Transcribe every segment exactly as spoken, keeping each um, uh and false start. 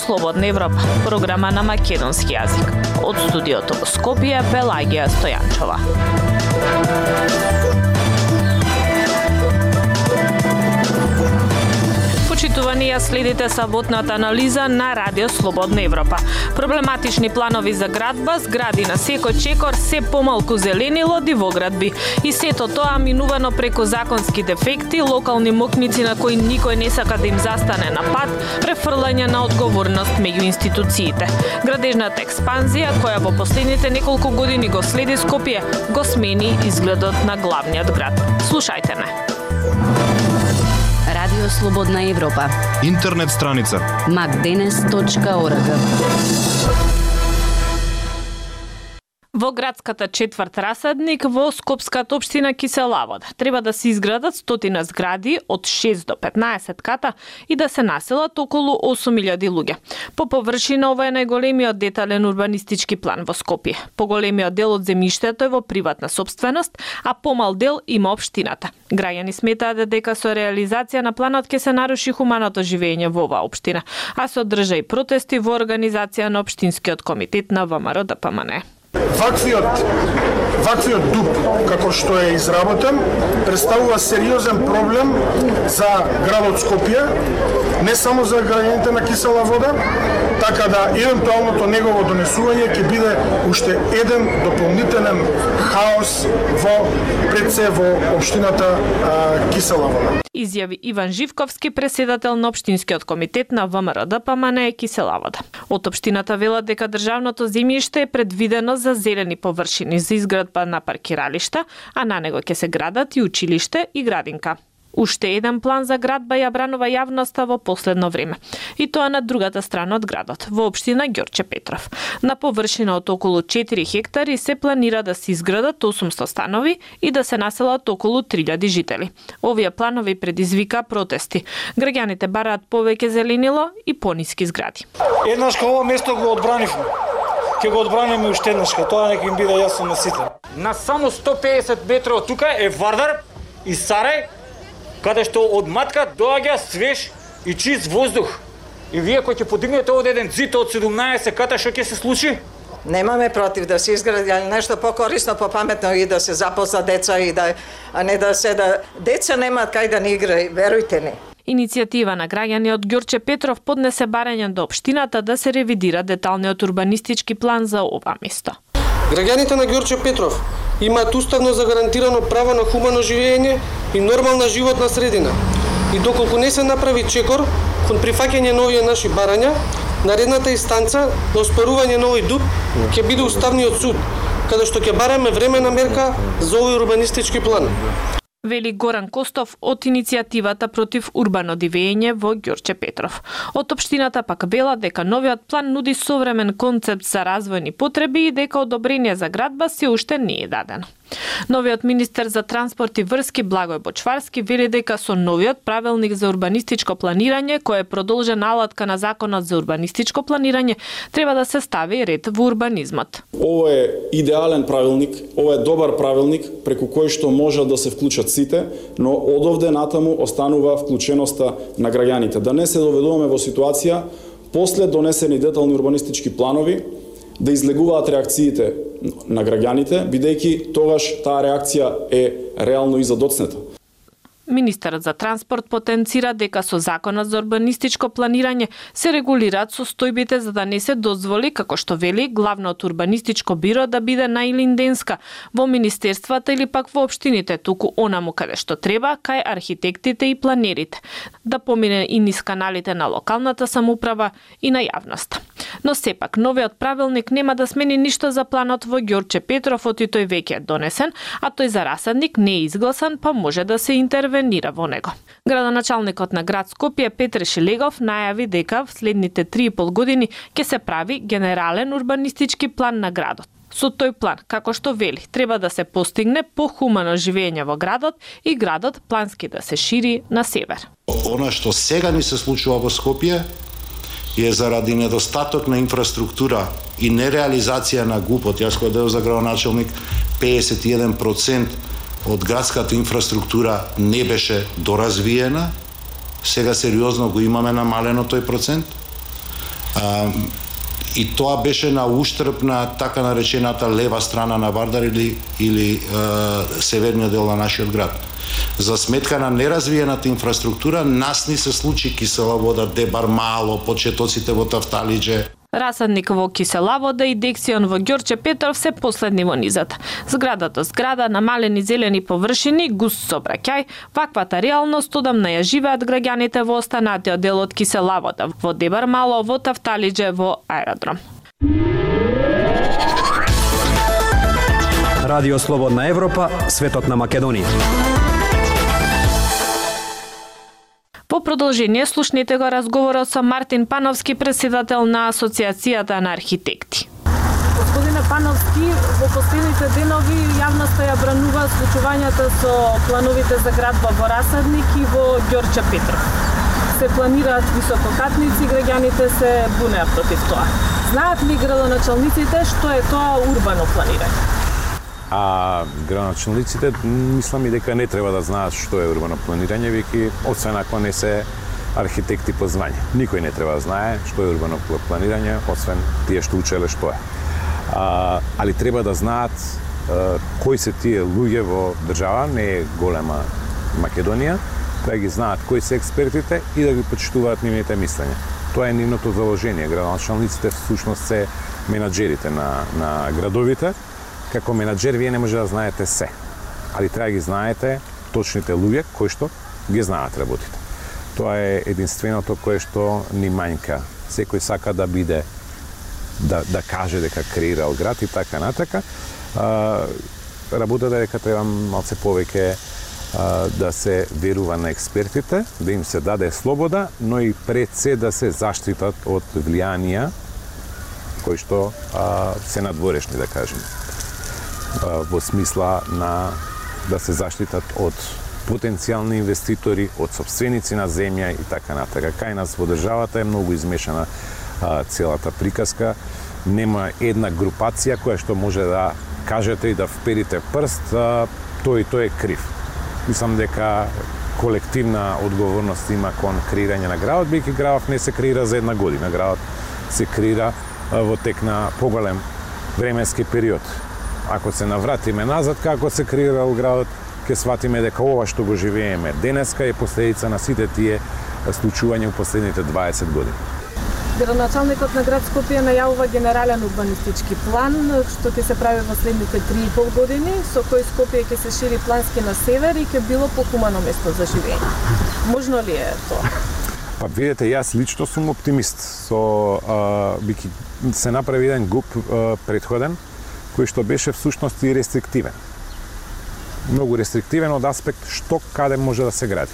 Слободна Европа, програма на македонски јазик. Од студиото во Скопје, Пелагија Стојанчова. Почитувани, ја следите саботната анализа на Радио Слободна Европа. Проблематични планови за градба, згради на секој чекор, се помалку зеленило, дивоградби. И сето тоа минувано преку законски дефекти, локални мокници на кои никој не сака да им застане на пат, префрлање на одговорност меѓу институциите. Градежната експанзија, која во последните неколку години го следи Скопје, го смени изгледот на главниот град. Слушајте ме. Радио Слободна Европа. Интернет страница макденес точка орг. Во градската четврт Расадник во Скопската општина Кисела Вода треба да се изградат стотина згради од шест до петнаесет ката и да се населат околу осум илјади луѓе. По површина ова е најголемиот детален урбанистички план во Скопје. Поголемиот дел од земјиштето е во приватна сопственост, а помал дел има општината. Граѓани сметаат дека со реализација на планот ќе се наруши хуманото живење во оваа општина, а се одржа и протести во организација на општинскиот комитет на ВМРО Д П М Н. Ваквиот, ваквиот дуп, како што е изработен, представува сериозен проблем за градот Скопје, не само за граѓаните на Кисела Вода, така да евентуалното негово донесување ќе биде уште еден дополнителен хаос во пред се во општината а, Кисела Вода. Изјави Иван Живковски, преседател на општинскиот комитет на ВМРО Д П М Н Кисела Вода. Од општината велат дека државното земјиште е предвидено за зелени површини за изградба на паркиралишта, а на него ќе се градат и училиште и градинка. Уште еден план за градба ја бранува јавноста во последно време. И тоа на другата страна од градот, во општина Ѓорче Петров. На површина од околу четири хектари се планира да се изградат осумсто станови и да се населат околу три илјади жители. Овие планови предизвика протести. Граѓаните бараат повеќе зеленило и пониски згради. Еднашка ова место го одбранивме. Ќе го одбраниме уште еднашка, тоа нека им биде јасно на сите. На само сто педесет метри од тука е Вардар и Сарај, каде што од матка доаѓа свеж и чист воздух. И вие кои ќе подигнете од еден зид од седумнаесет ката, што ќе се случи? Немаме против да се изгради нешто покорисно, попаметно и да се запозна деца и да, а не да се да деца немаат кај да не играат, верујте ни. Иницијатива на граѓани од Ѓорче Петров поднесе барање до општината да се ревидира деталниот урбанистички план за ова место. Граѓаните на Ѓорче Петров имаат уставно загарантирано право на хумано живење и нормална животна средина. И доколку не се направи чекор кон прифаќање на овие наши барања, наредната инстанца на оспорување на овој дуп ќе биде Уставниот суд, каде што ќе бараме времена мерка за овој урбанистички план. Вели Горан Костов од иницијативата против урбано дивење во Ѓорче Петров. Од општината пак велат дека новиот план нуди современ концепт за развојни потреби и дека одобрение за градба се уште не е дадено. Новиот министер за транспорт и врски Благој Бочварски вели дека со новиот правилник за урбанистичко планирање, кој е продолжена алатка на законот за урбанистичко планирање, треба да се стави ред во урбанизмот. Ова е идеален правилник, ова е добар правилник преку кој што може да се вклучат сите, но одовде натаму останува вклученоста на граѓаните. Да не се доведуваме во ситуација после донесени детални урбанистички планови да излегуваат реакциите на граѓаните, бидејќи тогаш таа реакција е реално и задоцнета. Министерот за транспорт потенцира дека со законот за урбанистичко планирање се регулираат состојбите за да не се дозволи, како што вели, главното урбанистичко биро да биде на Илинденска, во министерствата или пак во општините, туку онаму каде што треба, кај архитектите и планерите, да помине и низ каналите на локалната самоуправа и на јавноста. Но сепак, новиот правилник нема да смени ништо за планот во Ѓорче Петров, оти тој веќе е донесен, а тој за Расадник не е изгласан, па може да се интервенира во него. Градоначалникот на град Скопје Петре Шилегов најави дека в следните три и пол години ќе се прави генерален урбанистички план на градот. Со тој план, како што вели, треба да се постигне похумано живење во градот и градот плански да се шири на север. Она што сега ни се случува во Скопје е заради недостаток на инфраструктура и нереализација на ГУП-от. Јас кој дел за градоначалник, педесет и еден процент од градската инфраструктура не беше доразвиена. Сега сериозно го имаме намалено тој процент. А, и тоа беше на уштрб на така наречената лева страна на Вардар или, или е, северниот дел на нашиот град. За сметка на неразвиената инфраструктура, нас ни се случи кисела вода, Дебар мало, почетоците во Тафталиџе. Расадник во Кисела вода и Дексион во Ѓорче Петров се последни во низата. Зградата зграда, намалени зелени површини, густ сообраќај, ваквата реалност одамна ја живеат граѓаните во останатиот дел од Кисела вода, во Дебар мало, во Тафталиџе, во аеродром. Радио Слободна Европа, светот на Македонија. По продолжение слушнете го разговорот со Мартин Пановски, председател на Асоциацијата на архитекти. Господине Пановски, во последните денови јавноста ја бранува случувањата со плановите за градба во Расадник и во Ѓорче Петров. Се планираат висококатници, граѓаните се бунеат против тоа. Знаат ли градоначалниците што е тоа урбано планирање? А градоначалниците мислам и дека не треба да знаат што е урбано планирање, веќе освен ако не се архитекти по звање. Никој не треба да знае што е урбано планирање, освен тие што учеле што е. А, али треба да знаат а, кои се тие луѓе во држава, не е голема Македонија, да ги знаат кои се експертите и да ги почитуваат нивните мислења. Тоа е нивното заложение. Градоначалниците всушност се менаџерите на, на градовите. Како менаџер вие не може да знаете се, али треба да ги знаете точните луѓе кои што ги знаат работите. Тоа е единственото кое што ни мањка. Секој сака да биде, да, да каже дека креирал град и така натака. А, работата дека треба малце повеќе а, да се верува на експертите, да им се даде слобода, но и пред се да се заштитат од влијанија кои што а, се надворешни, да кажем, во смисла на да се заштитат од потенцијални инвеститори, од собственици на земја и така натака. Кај нас во државата е многу измешана а, целата приказка. Нема една групација која што може да кажете и да вперите прст, а, тој и тој е крив. Мислам дека колективна одговорност има кон креирање на градот, бидејќи градот не се креира за една година, градот се креира а, во тек на поголем временски период. Ако се навратиме назад како се креирал градот, ќе сватиме дека ова што го живееме денеска е последица на сите тие случувања во последните дваесет години. Градоначалникот на град Скопје најавува генерален урбанистички план што ќе се прави во следните три и пол години, со кој Скопје ќе се шири плански на север и ќе било похумано место за живење. Можно ли е тоа? Па видете, јас лично сум оптимист. Со а, бики се направи еден ГУП а, предходен кој што беше всушност и рестриктивен. Многу рестриктивен од аспект што каде може да се гради.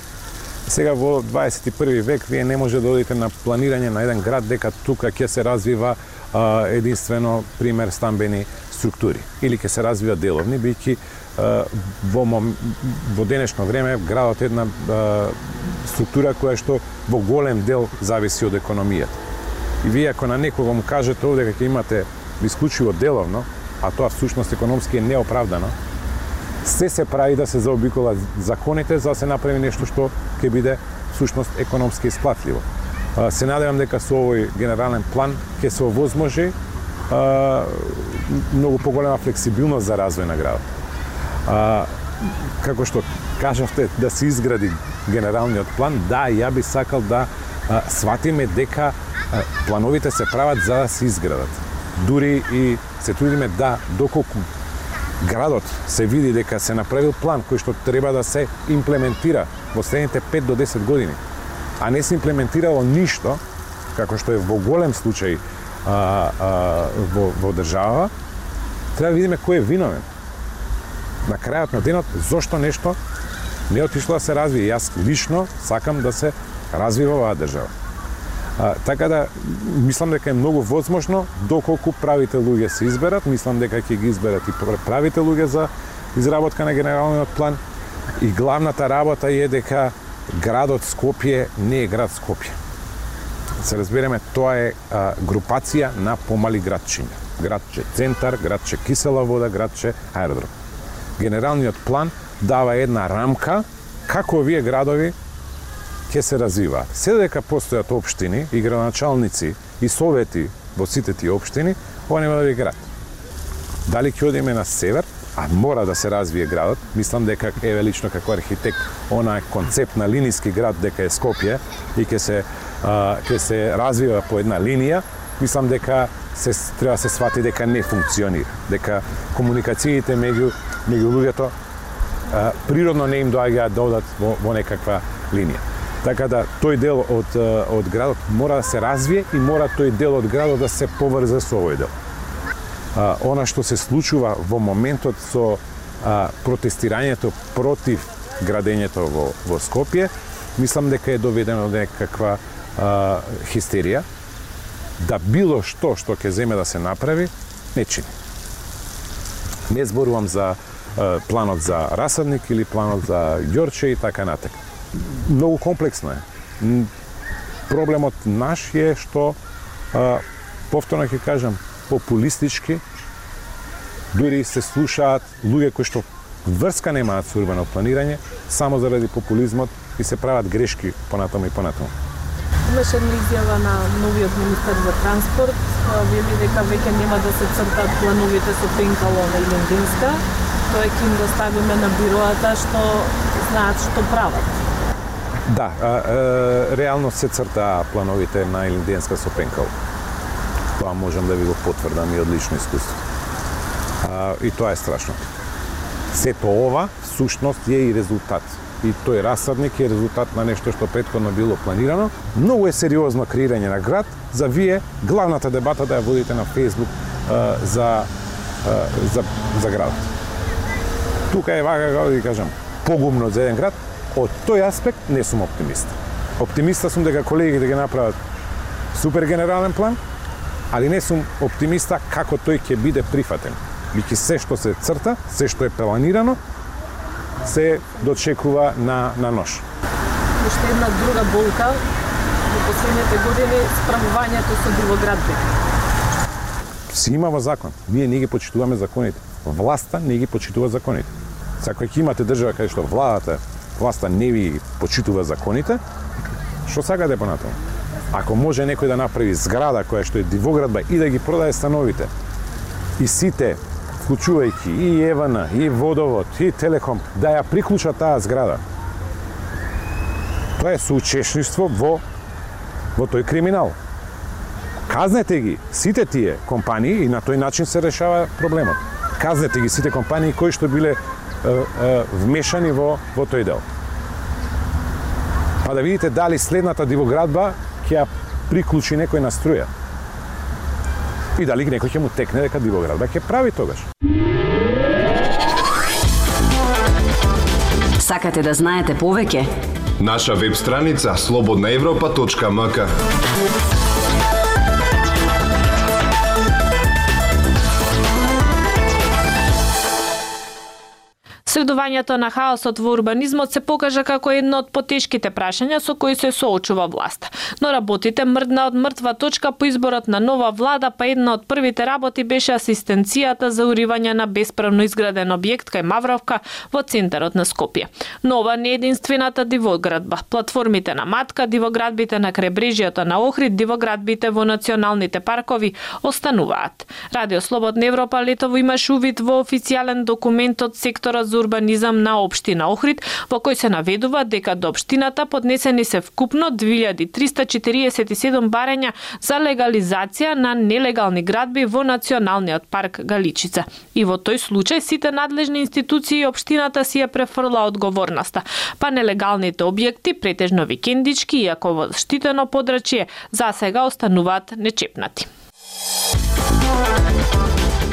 Сега во дваесет и први век вие не може да одите на планирање на еден град дека тука ќе се развива а, единствено пример стамбени структури или ќе се развива деловни, бидејќи во, во денешно време градот е една а, структура која што во голем дел зависи од економијата. И вие ако на некого му кажете овде дека имате исклучиво деловно, а тоа всушност економски е неоправдано, се се прави да се заобиколат законите за да се направи нешто што ќе биде всушност економски исплатливо. Се надевам дека со овој генерален план ќе се овозможи многу поголема флексибилност за развој на градот. А, како што кажавте да се изгради генералниот план, да, ја би сакал да а, сватиме дека а, плановите се прават за да се изградат. Дури и се трудиме да, доколку градот се види дека се направил план кој што треба да се имплементира во следните пет до десет години, а не се имплементирало ништо, како што е во голем случај а, а, во, во држава, треба да видиме кој е виновен. На крајот на денот, зошто нешто не отишло да се развие. Јас лично сакам да се развива оваа држава. А, така да, мислам дека е многу возможно, доколку правите луѓе се изберат, мислам дека ќе ги изберат и правите луѓе за изработка на генералниот план. И главната работа е дека градот Скопје не е град Скопје. Се разбереме, тоа е а, групација на помали градчиња. Градче Центар, градче Кисела вода, градче Аеродром. Генералниот план дава една рамка како овие градови ќе се развива. Се дека постојат општини и градоначалници и совети во сите тие општини, ова нема да биде град. Дали ќе одиме на север, а мора да се развие градот, мислам дека еве лично како архитект, она концепт на линиски град дека е Скопје и ќе се а, ќе се развива по една линија, мислам дека се треба да се свати дека не функционира, дека комуникациите меѓу меѓу луѓето а, природно не им доаѓаат да одат во, во некаква линија. Така да тој дел од од градот мора да се развие и мора тој дел од градот да се поврзе со овој дел. А, она што се случува во моментот со а, протестирањето против градењето во, во Скопје, мислам дека е доведено до некаква а, хистерија, да било што што ќе земе да се направи, не чини. Не зборувам за а, планот за расадник или планот за Ѓорче и така натаму. Многу комплексно е. Проблемот наш е што, а, повторно ќе кажам, популистички, дури се слушаат луѓе кои што врска немаат со урбано планирање, само заради популизмот и се прават грешки понатаму и понатаму. Имаше една изјава на новиот министер за транспорт, вели дека веќе нема да се цртат плановите со пенкало на Илинденска, тоа ќе им доставиме на бироата што знаат што прават. Да, а, а, реално се црта плановите на Илинденска со пенкало. Тоа можам да ви го потврдам и од лично искуство. А, и тоа е страшно. Сето ова, всушност, е и резултат. И тој расадник е резултат на нешто што претходно било планирано. Многу е сериозно креирање на град, за вие главната дебата да ја водите на Facebook а, за, а, за, за градот. Тука е вака, како да ви кажам, погумно за еден град. Од тој аспект не сум оптимист. Оптимиста сум дека колегите ќе направат супер генерален план, али не сум оптимиста како тој ќе биде прифатен. Биќе се што се црта, се што е планирано, се дочекува на, на нож. Уште една друга болка во последните години справувањето со дивоградби. Си има во закон. Ние не ги почитуваме законите. Власта не ги почитува законите. Ако ќе имате држава каде што владата, власта не ви почитува законите, што сакате понатаму? Ако може некој да направи зграда која што е дивоградба и да ги продае становите, и сите, вклучувајќи и ЕВН, и Водовод, и Телеком, да ја приклучат таа зграда, тоа е соучесништво во, во тој криминал. Казнете ги сите тие компании и на тој начин се решава проблемот. Казнете ги сите компании кои што биле е, е, вмешани во, во тој дел. Па да видите дали следната дивоградба ќе ја приклучи некој на струја. И дали некој ќе му текне дека дивоградба ќе прави тогаш. Сакате да знаете повеќе? Наша веб страница слободна европа точка ем ка. Следувањето на хаосот во урбанизмот се покажа како едно од потешките прашања со кои се соочува власта. Но работите мрдна од мртва точка по изборот на нова влада, па една од првите работи беше асистенцијата за уривање на бесправно изграден објект кај Мавровка во центарот на Скопје. Но ова не е единствената дивоградба. Платформите на Матка, дивоградбите на кребрежјето на Охрид, дивоградбите во националните паркови остануваат. Радио Слободна Европа летово имаше увид во официјален документ од секторот за урбанизам на општина Охрид, во кој се наведува дека до општината поднесени се вкупно две илјади триста четириесет и седум барања за легализација на нелегални градби во Националниот парк Галичица. И во тој случај сите надлежни институции и општината си ја префрла одговорноста, па нелегалните објекти, претежно викендички, иако во штитено подрачје, за сега остануваат нечепнати.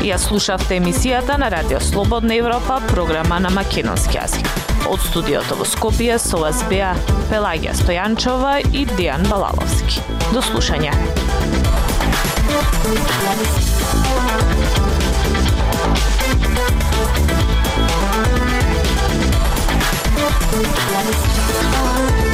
Ја слушавте емисијата на Радио Слободна Европа, програма на македонски јазик. Од студиото во Скопје со вас беа Пелагија Стојанчова и Дејан Балаловски. До слушање. We'll be right back.